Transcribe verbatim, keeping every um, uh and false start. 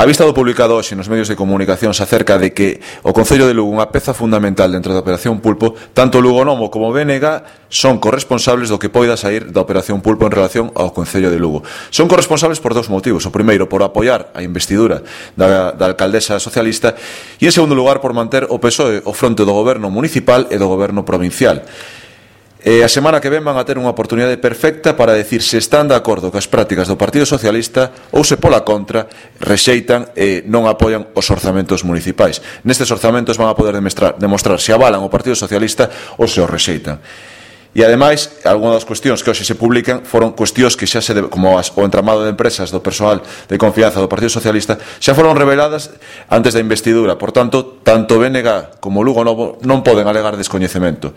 A vista do publicado hoxe nos medios de comunicación acerca de que o Concello de Lugo, unha peza fundamental dentro da Operación Pulpo, tanto Lugo Nomo como B N G son corresponsables do que poida sair da Operación Pulpo en relación ao Concello de Lugo. Son corresponsables por dous motivos. O primeiro, por apoiar a investidura da, da alcaldesa socialista, e en segundo lugar, por manter o P S O E o fronte do goberno municipal e do goberno provincial. E a semana que ven van a ter unha oportunidade perfecta para decir se están de acordo cas prácticas do Partido Socialista ou se pola contra rexeitan e non apoian os orzamentos municipais. Nestes orzamentos van a poder demostrar, demostrar se avalan o Partido Socialista ou se os rexeitan. E ademais, algunhas das cuestións que hoxe se publican foron cuestións que xa se, de, como as, o entramado de empresas do persoal de confianza do Partido Socialista, xa foron reveladas antes da investidura. Por tanto, tanto B N G como Lugo Novo non poden alegar descoñecemento.